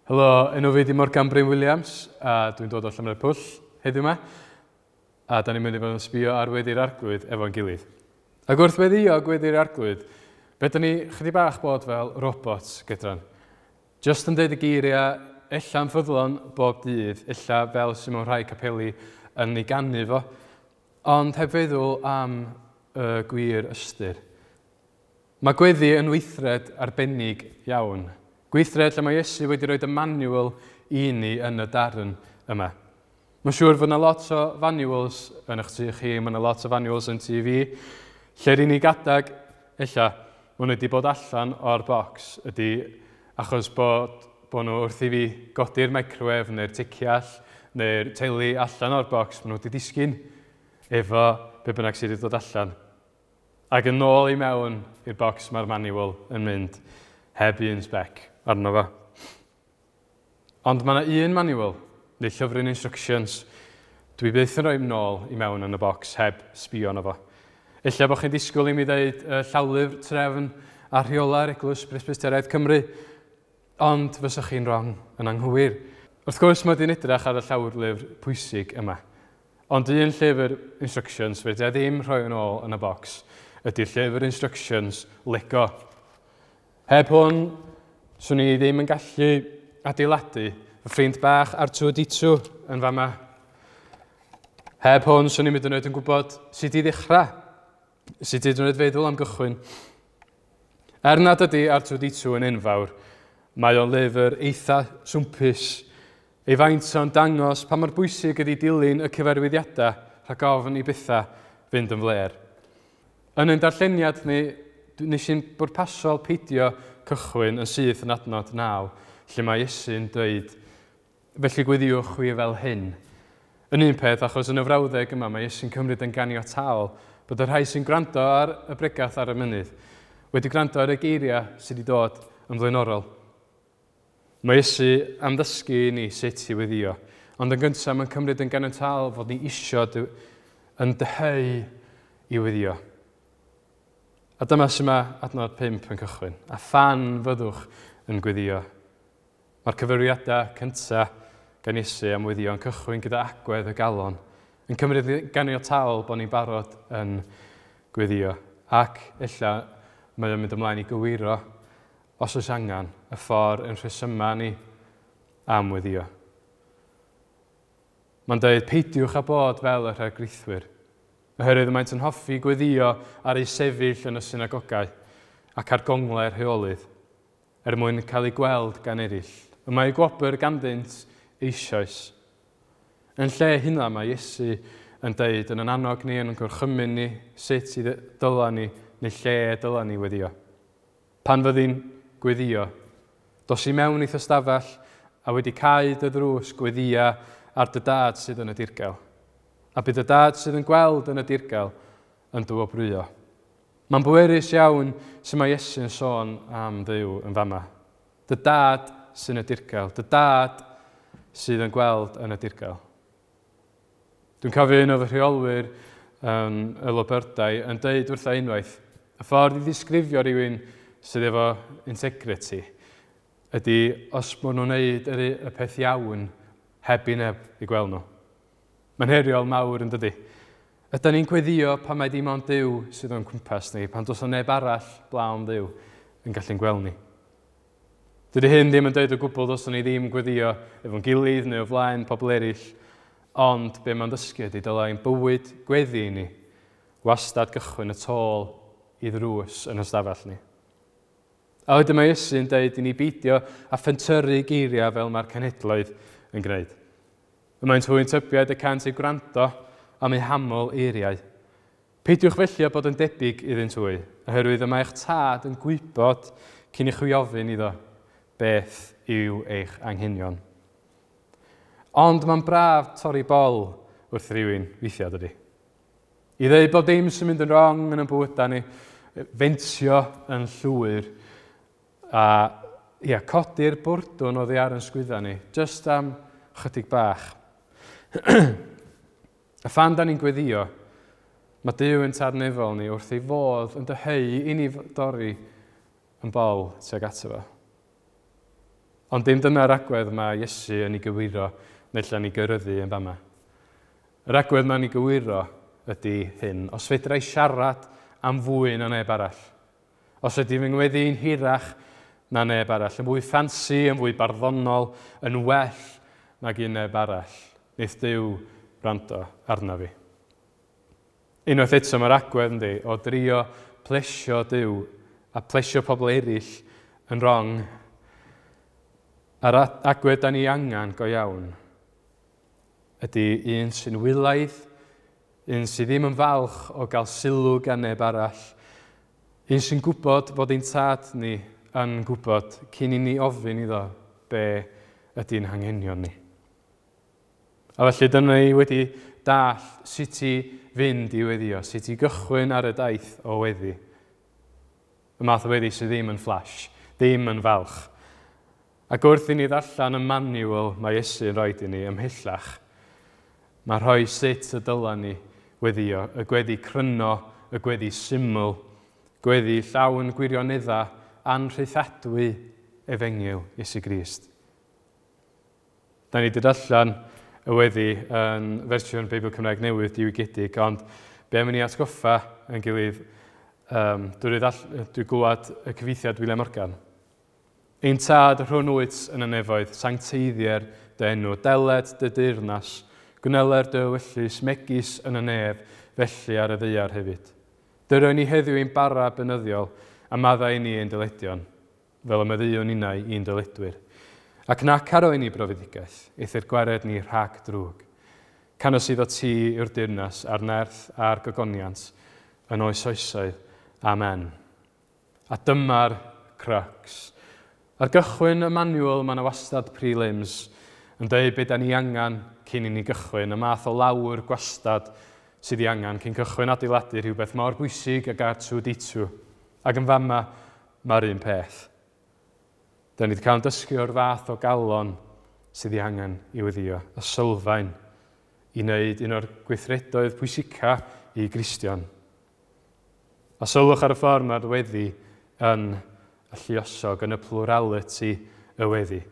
Helo, enw fi di Morgan Bryn Williams a dwi'n dod o Llanfairpwll heddiw yma. A da ni'n mynd i fod yn sbio ar Weddi'r Arglwydd efo'n gilydd. Ac wrth weddio Gweddi'r Arglwydd, fe da ni chydig bach bod fel robots gydran. Just yn deud y geiriau, ella'n ffyddlon bob dydd, ella fel sy'n mewn rhai capeli yn ei ganu fo, ond heb feddwl am y gwir ystyr. Mae gweddi yn weithred arbennig iawn. Gweithred lle mae Iesu wedi rhoi y manual i ni yn y darn yma. Mae'n siŵr fod yna lot o manuals yn eich tŷ chi, mae yna lot o manuals yn tŷ fi. Lle'r unig adag, ella, maen nhw wedi bod allan o'r bocs ydy achos bod, bod nhw wrth i fi godi'r microwave neu'r ticiall neu'r teli allan o'r bocs, maen nhw wedi disgyn efo be bynnag sydd wedi dod allan. Ac yn ôl i mewn i'r bocs mae'r manual yn mynd heb un spec arno fo. Ond mae yna un manual, neu llyfryn instructions, dwi byth yn rhoi nôl i mewn yn y bocs heb sbio arno fo. Ella bod chi'n disgwyl i mi ddeud y llawlyfr trefn a rheolau'r Eglwys Presbyteraidd Cymru, ond fysach chi'n wrong yn anghywir. Wrth gwrs, mae di'n edrych ar y llawlyfr pwysig yma. Ond un llyfr instructions fedra i ddim rhoi yn ôl yn y bocs ydy'r llyfr instructions Lego. Heb hwn, swn i ddim yn gallu adeiladu fy ffrind bach R2-D2 yn fama. Heb hwn, swn i'n mynd yn oed yn gwybod sut i ddechrau, sut i yn oed feddwl am gychwyn. Er nad ydy R2-D2 yn enfawr, mae o'n lyfr eitha swmpus. Ei faint o'n dangos pa mor bwysig ydy dilyn y cyfarwyddiadau rhag ofn i bethau fynd yn flêr. Yn ein darlleniad ni, nes i'n bwrpasol peidio cychwyn yn syth yn adnod 9, lle mae Iesu'n dweud, felly gweddiwch chwi fel hyn. Yn un peth, achos yn y frawddeg yma mae Iesu'n cymryd yn ganiataol bod y rhai sy'n gwrando ar y bregath ar y mynydd wedi gwrando ar y geiriau sydd wedi dod yn flaenorol. Mae Iesu am ddysgu i ni sut i weddio, ond yn gyntaf mae'n cymryd yn ganiataol fod ni isio yn dyheu i weddio. A dyma sy'n mae adnod 5 yn cychwyn. A phan fyddwch yn gweddio. Mae'r cyfeiriadau cyntaf gan Iesu am weddio yn cychwyn gyda agwedd y galon, yn cymryd ganiataol bod ni'n barod yn gweddio. Ac ella mae o'n mynd ymlaen i gywiro os oes angen, y ffordd yn rhesyma ni am weddio. Mae'n dweud, peidiwch â bod fel y rhagrithwyr, oherwydd maent yn hoffi gweddio ar eu sefyll yn y synagogau ac ar gonglau'r heolydd, er mwyn cael eu gweld gan eraill. Y mae gwobr ganddynt eisoes. Yn lle hynna mae Iesu yn deud yn annog ni, yn gorchymyn ni, sut i dyla ni, neu lle dyla ni weddio. Pan fyddi'n gweddio, dos i mewn i'th ystafell a wedi cau dy ddrws gweddia ar dy dad sydd yn y dirgel. A bydd dy dad sydd yn gweld yn y dirgel yn dy wobrwyo. Mae'n bwerus iawn sy'n mae Iesu'n sôn am Dduw yn fama. Dy dad sy'n y dirgel, dy dad sydd yn gweld yn y dirgel. Dwi'n cofio un o fy rheolwyr yn y Loberdau yn deud wrtha unwaith, y ffordd i ddisgrifio rhywun sydd efo integrity ydy os maen nhw'n neud y peth iawn heb i neb i gweld nhw. Mae'n heriol mawr yn dydy. Ydy ni'n gweddio pan mae dim ond Duw sydd o'n cwmpas ni, pan does neb arall blaen Dduw yn gallu'n gweld ni. Dydy hyn ddim yn dweud o gwbl dylswn ni ddim gweddio efo'n gilydd neu o flaen pobl eraill, ond be mae'n ddysgu ydy dylai'n bywyd gweddi i ni wastad gychwyn y tôl i ddrws yn ystafell ni. A wedyn mae Iesu'n dweud i ni beidio a phentyrru geiriau fel mae'r cenhedloedd yn gwneud. Y maent hwy'n tybied y cant eu gwrando am eu haml eiriau. Peidiwch felly â bod yn debyg iddynt hwy, oherwydd y mae eich tad yn gwybod cyn i chwi ofyn iddo beth yw eich anghenion. Ond mae'n braf torri bol wrth rhywun weithiau, dydy. I ddeud bod dim sy'n mynd yn wrong yn ein bywydau ni, fentio yn llwyr a ia, codi'r bwrdwn oddi ar yn sgwydda ni, just am chydig bach. A phan da ni'n gweddio, mae Duw yn tad nefol ni wrth ei fodd yn dyheu i ni dorri yn bol tuag ato fo. Ond dim dyna'r agwedd mae Iesu yn ei gywiro neu allan ei gyryddu yn fama. Yr agwedd mae'n ei gywiro ydy hyn. Os fedra i siarad am fwy na neb arall, os ydy fy ngweddi'n hirach na neb arall, yn fwy ffansi, yn fwy barddonol, yn well nag un neb arall, wneith Duw wrando arna fi. Unwaith eto mae'r agwedd yndi, o drio plesio Duw a plesio pobl eraill yn wrong. A'r agwedd da ni angen go iawn ydy un sy'n wylaidd, un sydd ddim yn falch o gael sylw gan neb arall, un sy'n gwybod fod ein tad ni yn gwybod cyn i ni ofyn iddo be ydy'n hanghenion ni. A felly dyna ni wedi dall sut i fynd i weddio, sut i gychwyn ar y daith o weddi. Y math o weddi sydd ddim yn flash, ddim yn falch. Ac wrth i ni ddarllen y manual mae Iesu yn rhoi i ni ymhellach, mae rhoi sut y dyla ni weddio, y gweddi cryno, y gweddi syml, gweddi llawn gwirionedda anrhaethadwy efengyl Iesu Grist. Da ni wedi darllen y weddi yn fersiwn Beibl Cymraeg Newydd diwygiedig, ond be am i ni atgoffa yn gilydd drwy, drwy glywed y cyfieithiad William Morgan. Ein tad rhwng wyt yn y nefoedd, sancteiddier dy enw, deled dy deyrnas, gwneler dy ewyllys megis yn y nef, felly ar y ddaear hefyd. Dyro ni heddiw ein bara beunyddiol, a maddau i ni ein dyledion, fel y maddeuwn ninnau i'n dyledwyr. Ac nac arwain ni i brofedigaeth, eithr gwared ni rhag drwg. Canys eiddo ti yw'r deyrnas a'r nerth a'r gogoniant yn oes oesoedd. Amen. A dyma'r crux. Ar gychwyn y manual mae yna wastad prelims yn dweud beth da ni angen cyn i ni gychwyn, y math o lawr gwastad sydd ei angen cyn cychwyn adeiladu rhywbeth mor bwysig ag R2D2. Ac yn fama, mae'r un peth. Da ni wedi cael yn dysgu o'r fath o galon sydd ei angen i weddio, y sylfaen i wneud un o'r gweithredoedd pwysica i Gristion. A sylwch ar y ffordd mae'r weddi yn y lluosog, yn y plurality y weddi.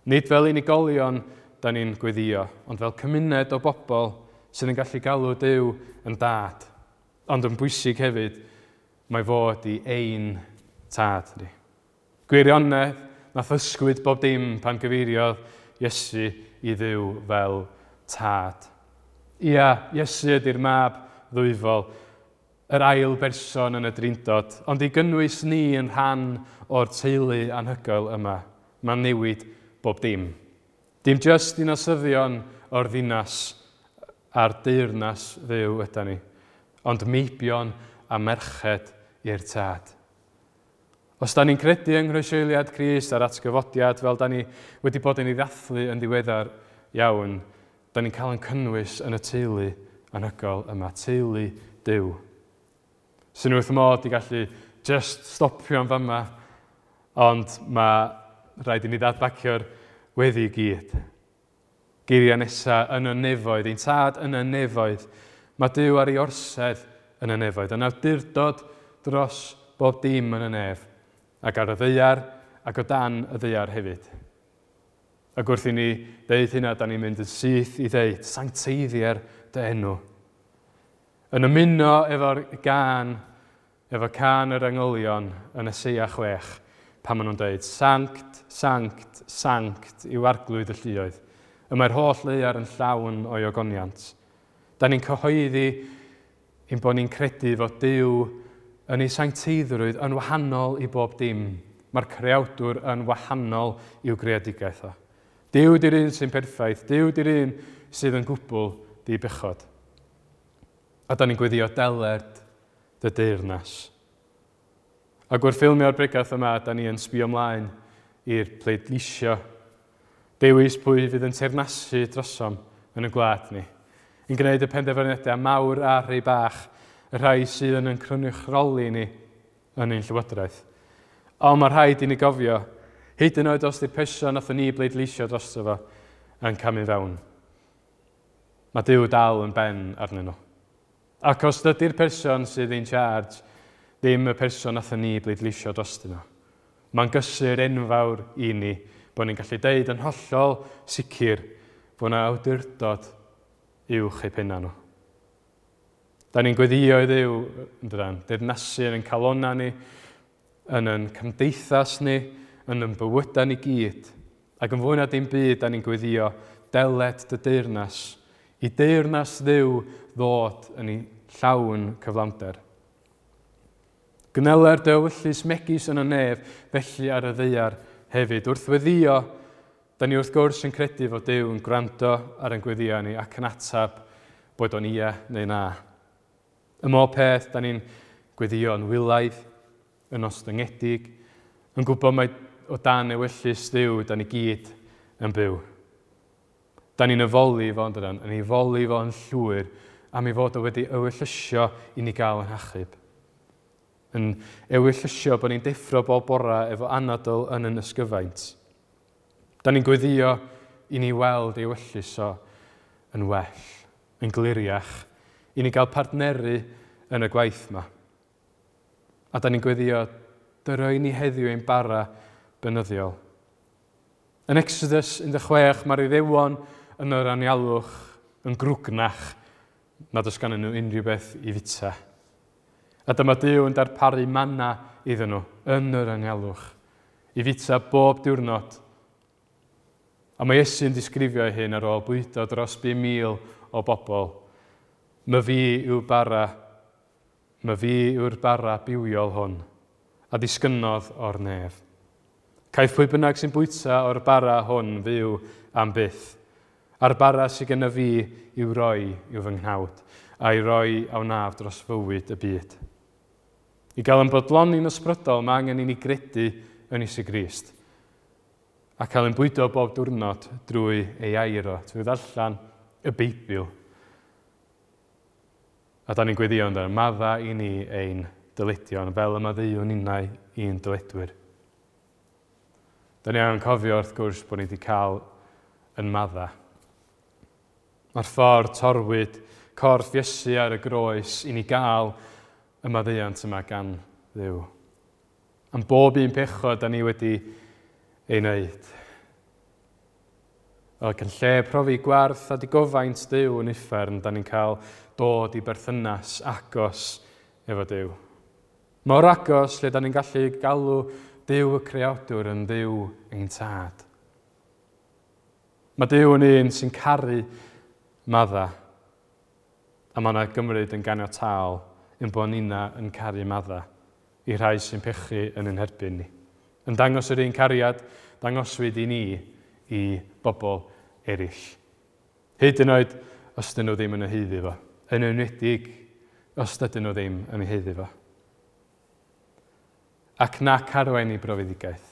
Nid fel unigolion da ni'n gweddio, ond fel cymuned o bobl sydd yn gallu galw Duw yn dad. Ond yn bwysig hefyd, mae fod i ein tad ni. Gwirionedd, nath ysgwyd bob dim pan gyfeiriodd Iesu i Dduw fel tad. Ia, Iesu ydy'r mab ddwyfol, yr ail berson yn y drindod, ond i gynnwys ni yn rhan o'r teulu anhygoel yma, mae'n newid bob dim. Dim jyst dinasyddion o'r ddinas a'r deyrnas Dduw yda ni, ond meibion a merched i'r tad. Os da ni'n credu yng nghroeshoeliad Crist a'r atgyfodiad fel da ni wedi bod yn ei ddathlu yn ddiweddar iawn, da ni'n cael ein cynnwys yn y teulu anhygoel yma, teulu Duw. Sy'n wrth modd i gallu just stopio yn fama, ond mae rhaid i ni ddadbacio'r weddi i gyd. Geiriau nesaf yn y nefoedd, ein tad yn y nefoedd. Mae Duw ar ei orsedd yn y nefoedd, yn awdurdod dros bob dim yn y nef, ac ar y ddaear ac o dan y ddaear hefyd. Ac wrth i ni ddeud hynna, da ni'n mynd yn syth i ddeud, sancteiddier dy enw. Yn ymuno efo'r gân, efo cân yr angylion yn Eseia 6, pan maen nhw'n dweud, Sanct, sanct, sanct yw arglwydd y lluoedd. Y mae'r holl ddaear yn llawn o'i ogoniant. Da ni'n cyhoeddi ein bod ni'n credu fod Duw yn ei sancteiddrwydd yn wahanol i bob dim. Mae'r creawdwr yn wahanol i'w greadigaeth o. Duw di'r un sy'n perffaith, Duw di'r un sydd yn gwbl di-bechod. A da ni'n gweddio deled dy deyrnas. Ac wrth ffilmio'r bregath yma, da ni yn sbio ymlaen i'r pleidleisio. Dewis pwy fydd yn teyrnasu drosom yn y gwlad ni. Yn gwneud y penderfyniadau mawr a rhai bach, y rhai sydd yn cynrychioli ni yn ein llywodraeth. Ond mae rhaid i ni gofio, hyd yn oed os di'r person nathon ni bleidleisio drosto fo yn camu fewn. Mae Duw dal yn ben arnyn nhw. Ac os dydy'r person sydd in charge ddim y person nathon ni bleidleisio drostyn nhw, mae'n gysur enfawr i ni Bod ni'n gallu deud yn hollol sicr bod yna awdurdod uwch eu penna nhw. Da ni'n gweddio i Dduw, yn dydan, deyrnasu yn ein calonna ni, yn ein cymdeithas ni, yn ein bywydau ni gyd. Ac yn fwy na dim byd, da ni'n gweddio, deled dy deyrnas, i deyrnas Dduw ddod yn ei llawn cyflawnder. Gwneler dy ewyllys megis yn y nef, felly ar y ddaear hefyd. Wrth weddio, da ni wrth gwrs yn credu fod Duw yn gwrando ar ein gweddio ni ac yn ateb boed o'n ia neu na. Ym mhob peth, da ni'n gweddio yn wylaidd, yn ostyngedig, yn gwybod mai o dan ewyllys Dduw da ni gyd yn byw. Da ni'n efoli fo, yn dydan? Yn ei foli fo yn llwyr am ei fod o wedi ewyllysio i ni gael yn hachub. Yn ewyllysio bod ni'n deffro bob bora efo anadl yn yn ysgyfaint. Da ni'n gweddio i ni weld ei ewyllys o yn well, yn gliriach, i ni gael partneru yn y gwaith yma. A da ni'n gweddio, dyro i ni heddiw ein bara bynyddiol. Yn Exodus 16, mae'r Iddewon yn yr anialwch yn grwgnach nad oes ganddyn nhw unrhyw beth i fita. A dyma Duw yn darparu manna iddyn nhw yn yr anialwch, i fita bob diwrnod. A mae Iesu'n disgrifio ei hun ar ôl bwydo dros 5,000 o bobl. My fi yw bara, my fi yw'r bara bywiol hwn, a ddisgynnodd o'r nef. Caiff pwy bynnag sy'n bwyta o'r bara hwn fyw am byth. A'r bara sydd gennyf fi i'w roi yw fy nghnawd, a'i roi a wnaf dros fywyd y byd. I gael yn bodloni'n ysbrydol, mae angen i ni gredu yn Iesu Grist a cael ein bwydo bob diwrnod drwy ei air o, trwy ddarllen y Beibl. A da ni'n gweddio ynddo, madda i ni ein dyledion fel y maddeuwn ninnau i'n dyledwyr. Da ni angen cofio wrth gwrs bod ni wedi cael yn madda. Mae'r ffordd torwyd corff Iesu ar y groes i ni gael y maddeuant yma gan Dduw. Am bob un pechod da ni wedi ei wneud. Ac yn lle profi gwarth a digofaint Duw yn uffern, da ni'n cael dod i berthynas agos efo Duw. Mor agos lle da ni'n gallu galw Duw y Creawdwr yn Dduw ein tad. Mae Duw yn un sy'n caru madda, a mae yna gymryd yn ganiataol ein bod nina yn caru madda i rhai sy'n pechu yn ein herbyn ni. Yn dangos yr un cariad dangoswyd i ni i bobl eraill. Hyd yn oed os dyn nhw ddim yn ei haeddu fo. Yn enwedig os dydyn nhw ddim yn ei haeddu fo. Ac nac arwain i brofedigaeth.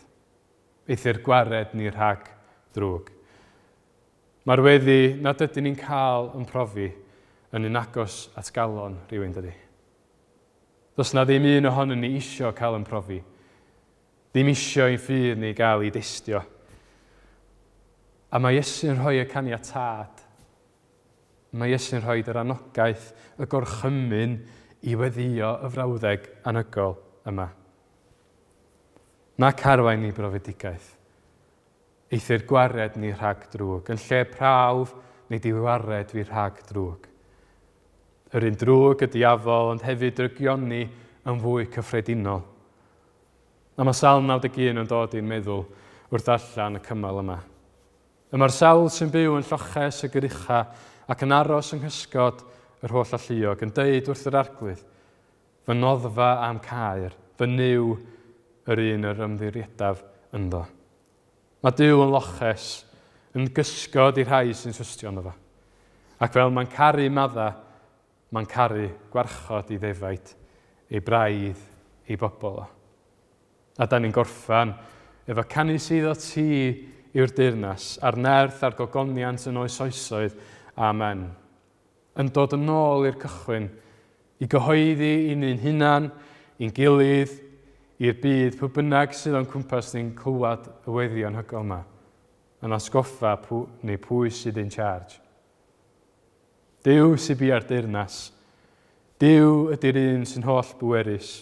Eithr gwared ni rhag drwg. Mae'r weddi nad ydyn ni'n cael yn profi yn un agos at galon rhywun, dydy. Does na ddim un ohonon ni isio cael yn profi. Ddim isio i'n ffydd ni gael ei destio. A mae Iesu'n rhoi y caniatâd. Mae Iesu'n rhoi yr anogaeth, y gorchymyn i weddio y frawddeg anhygoel yma. Nac arwain ni brofedigaeth. Eithr gwared ni rhag drwg. Yn lle prawf, nid i wared fi rhag drwg. Yr un drwg y diafol, ond hefyd drygioni yn fwy cyffredinol. A mae Salm 91 yn dod i'n meddwl wrth allan y cymal yma. Y mae'r sawl sy'n byw yn lloches y gyrucha ac yn aros yng nghysgod yr holl alluog yn deud wrth yr arglwydd, fy noddfa am caer, fy Nuw yr un yr ymddiriedaf ynddo. Mae Duw yn loches, yn gysgod i'r rhai sy'n trystio ynddo fo. Ac fel mae'n caru madda, mae'n caru gwarchod i ddefaid, ei braidd, ei bobl o. A da ni'n gorffan efo canu sydd o ti yw'r deyrnas, a'r nerth a'r gogoniant yn oes oesoedd. Amen. Yn dod yn ôl i'r cychwyn, i gyhoeddi i ni'n hunan, i'n gilydd, i'r byd, pwy bynnag sydd o'n cwmpas ni'n clywed y weddi anhygoel yma, yn atgoffa pw, neu pwy sydd in charge. Duw sydd bia'r deyrnas. Duw ydy'r un sy'n holl bwerus.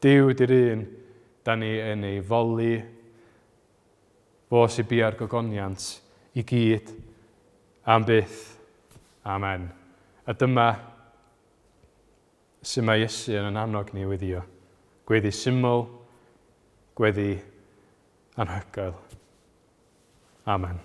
Duw ydy'r un da ni yn ei foli. Fo sy'n bia'r gogoniant i gyd am byth. Amen. A dyma sy'n mae Iesu yn annog ni weddio. Gweddi syml, gweddi anhygoel. Amen.